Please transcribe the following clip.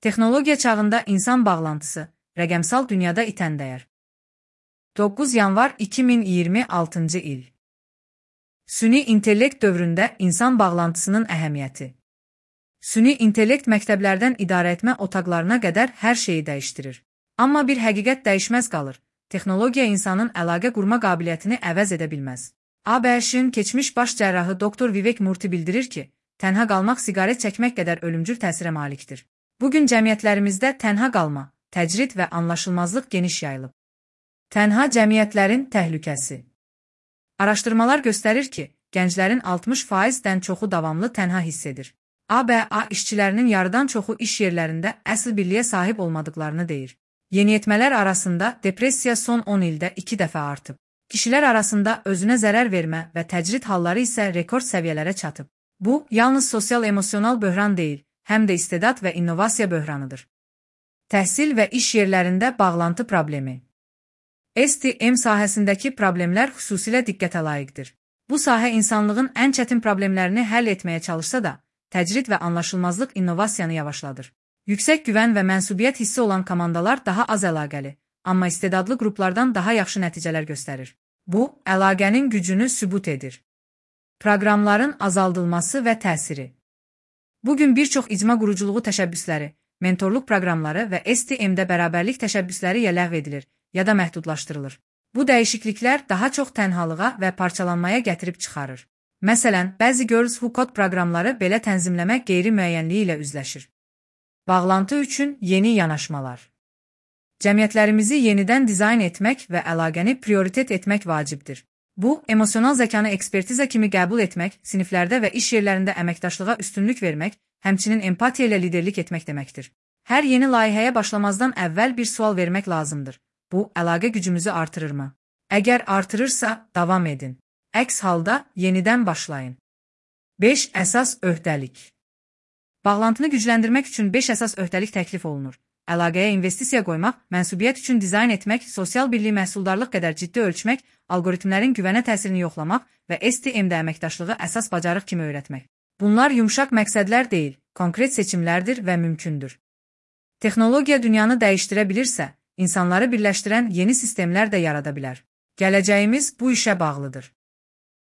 Texnologiya çağında insan bağlantısı, rəqəmsal dünyada itən dəyər. 9 yanvar 2026-cı il. Süni intellekt dövründə insan bağlantısının əhəmiyyəti. Süni intellekt məktəblərdən idarəetmə otaqlarına qədər hər şeyi dəyişdirir. Amma bir həqiqət dəyişməz qalır. Texnologiya insanın əlaqə qurma qabiliyyətini əvəz edə bilməz. ABŞ-ın keçmiş baş cərrahı Dr. Vivek Murthy bildirir ki, tənha qalmaq siqaret çəkmək qədər ölümcül təsirə malikdir. Bugün cəmiyyətlərimizdə tənha qalma, təcrid və anlaşılmazlıq geniş yayılıb. Tənha cəmiyyətlərin təhlükəsi. Araşdırmalar göstərir ki, gənclərin 60%-dən çoxu davamlı tənha hiss edir. ABA işçilərinin yarıdan çoxu iş yerlərində əsl birliyə sahib olmadıqlarını deyir. Yeniyetmələr arasında depressiya son 10 ildə 2 dəfə artıb. Kişilər arasında özünə zərər vermə və təcrid halları isə rekord səviyyələrə çatıb. Bu, yalnız sosial-emosional böhran deyil, həm də istedad və innovasiya böhranıdır. Təhsil və iş yerlərində bağlantı problemi. STEM sahəsindəki problemlər xüsusilə diqqətə layiqdir. Bu sahə insanlığın ən çətin problemlərini həll etməyə çalışsa da, təcrid və anlaşılmazlıq innovasiyanı yavaşladır. Yüksək güvən və mənsubiyyət hissi olan komandalar daha az əlaqəli, amma istedadlı qruplardan daha yaxşı nəticələr göstərir. Bu, əlaqənin gücünü sübut edir. Proqramların azaldılması və təsiri. Bugün bir çox icma quruculuğu təşəbbüsləri, mentorluq proqramları və STEM-də bərabərlik təşəbbüsləri ya ləğv edilir, ya da məhdudlaşdırılır. Bu dəyişikliklər daha çox tənhalığa və parçalanmaya gətirib çıxarır. Məsələn, bəzi Girls Who Code proqramları belə tənzimləmə qeyri-müəyyənliyi ilə üzləşir. Bağlantı üçün yeni yanaşmalar. Cəmiyyətlərimizi yenidən dizayn etmək və əlaqəni prioritet etmək vacibdir. Bu, emosional zəkanı ekspertiza kimi qəbul etmək, siniflərdə və iş yerlərində əməkdaşlığa üstünlük vermək, həmçinin empatiya ilə liderlik etmək deməkdir. Hər yeni layihəyə başlamazdan əvvəl bir sual vermək lazımdır. Bu, əlaqə gücümüzü artırırmı? Əgər artırırsa, davam edin. Əks halda yenidən başlayın. 5 əsas öhdəlik. Bağlantını gücləndirmək üçün 5 əsas öhdəlik təklif olunur. Əlaqəyə investisiya qoymaq, mənsubiyyət üçün dizayn etmək, sosial birlik məhsuldarlıq qədər ciddi ölçmək, algoritmlərin güvənə təsirini yoxlamaq və STEM-də əməkdaşlığı əsas bacarıq kimi öyrətmək. Bunlar yumşaq məqsədlər deyil, konkret seçimlərdir və mümkündür. Texnologiya dünyanı dəyişdirə bilirsə, insanları birləşdirən yeni sistemlər də yarada bilər. Gələcəyimiz bu işə bağlıdır.